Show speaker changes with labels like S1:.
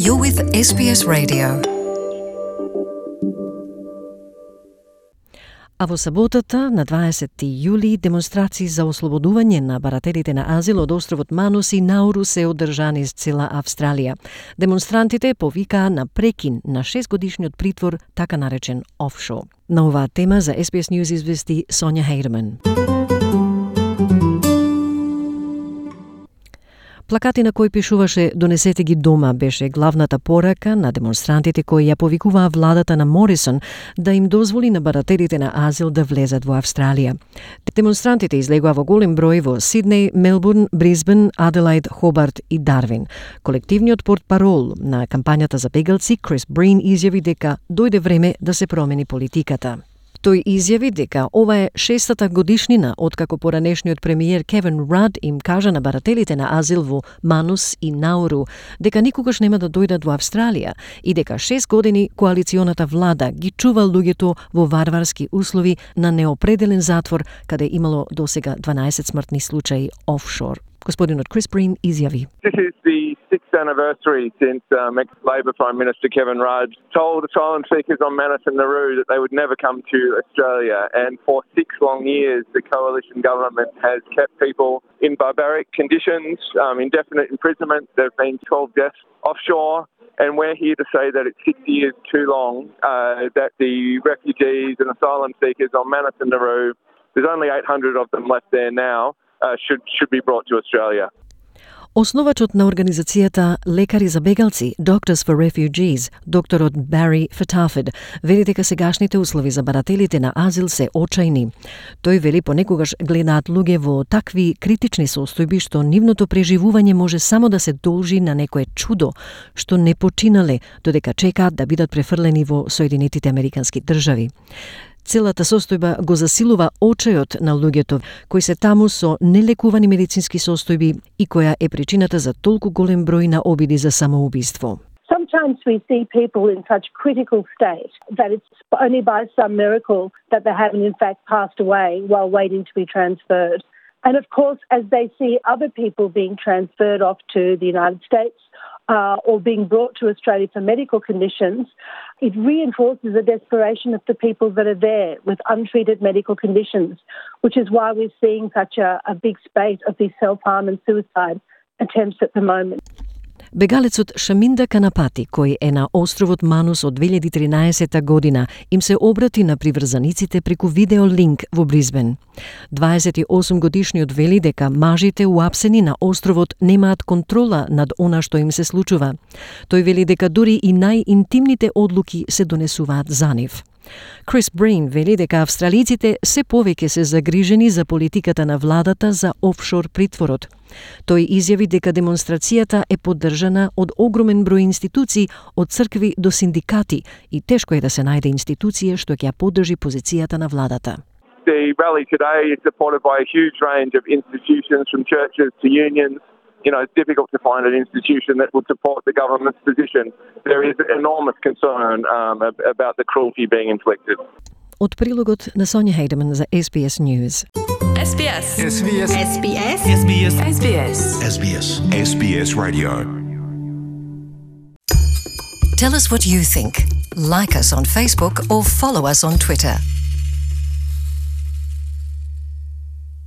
S1: You're with SBS Radio. А во саботата, на 20 јули, демонстрации за ослободување на барателите на азил од островот Манус и Науру се одржани из цела Австралија. Демонстрантите повикаа на прекин на 6-годишниот притвор, така наречен офшор. На оваа тема за SBS News извести Сонја Хейдеман. Плакати на кои пишуваше "Донесете ги дома" беше главната порака на демонстрантите кои ја повикуваа владата на Морисон да им дозволи на барателите на азил да влезат во Австралија. Демонстрантите излегоа во голем број во Сиднеј, Мелбурн, Брисбен, Аделаид, Хобарт и Дарвин. Колективниот портпарол на кампањата за бегалци, Крис Брин, изјави дека дојде време да се промени политиката. Тој изјави дека ова е 6-та годишнина откако поранешниот премиер Кевин Рад им кажа на барателите на азил во Манус и Науру дека никогаш нема да дојдат во Австралија и дека 6 години коалиционата влада ги чува луѓето во варварски услови на неопределен затвор, каде имало досега 12 смртни случаи офшор. Господинот Крис Брин изјави:
S2: This is the 6th anniversary since ex-Labor Prime Minister Kevin Rudd told asylum seekers on Manus and Nauru that they would never come to Australia. And for 6 long years, the coalition government has kept people in barbaric conditions, indefinite imprisonment. There have been 12 deaths offshore. And we're here to say that it's 6 years too long, that the refugees and asylum seekers on Manus and Nauru, there's only 800 of them left there now, should be brought to Australia.
S1: Основачот на организацијата Лекари за бегалци, Doctors for Refugees, докторот Бари Фетафид, вели дека сегашните услови за барателите на азил се очајни. Тој вели понекогаш гледаат луѓе во такви критични состојби што нивното преживување може само да се должи на некое чудо што не починале, додека чекаат да бидат префрлени во Соединетите Американски држави. Целата состојба го засилува очајот на луѓето кои се таму со нелекувани медицински состојби и која е причината за толку голем број на обиди за самоубиство.
S3: Sometimes we see people in such critical state that it's only by some miracle that they haven't in fact passed away while waiting to be transferred. And of course, as they see other people being transferred off to the United States, or being brought to Australia for medical conditions, it reinforces the desperation of the people that are there with untreated medical conditions, which is why we're seeing such a big spate of these self-harm and suicide attempts at the moment.
S1: Бегалецот Шаминда Канапати, кој е на островот Манус од 2013 година, им се обрати на приврзаниците преку видеолинк во Брисбен. 28-годишниот вели дека мажите уапсени на островот немаат контрола над она што им се случува. Тој вели дека дури и најинтимните одлуки се донесуваат за нив. Крис Брин вели дека австралиците се повеќе се загрижени за политиката на владата за офшор притворот. Тој изјави дека демонстрацијата е поддржана од огромен број институции, од цркви до синдикати, и тешко е да се најде институција што ќе ја поддржи позицијата на владата.
S2: The rally today is supported by a huge range of institutions, from churches to unions. You know, it's difficult to find an institution that would support the government's position. There is enormous concern about the cruelty being inflicted.
S1: Од прилогот на Сонја Хейдеман за SBS News.
S4: SBS.
S5: SBS.
S4: SBS.
S5: SBS.
S4: SBS.
S5: SBS. SBS Radio.
S1: Tell us what you think. Like us on Facebook or follow us on Twitter.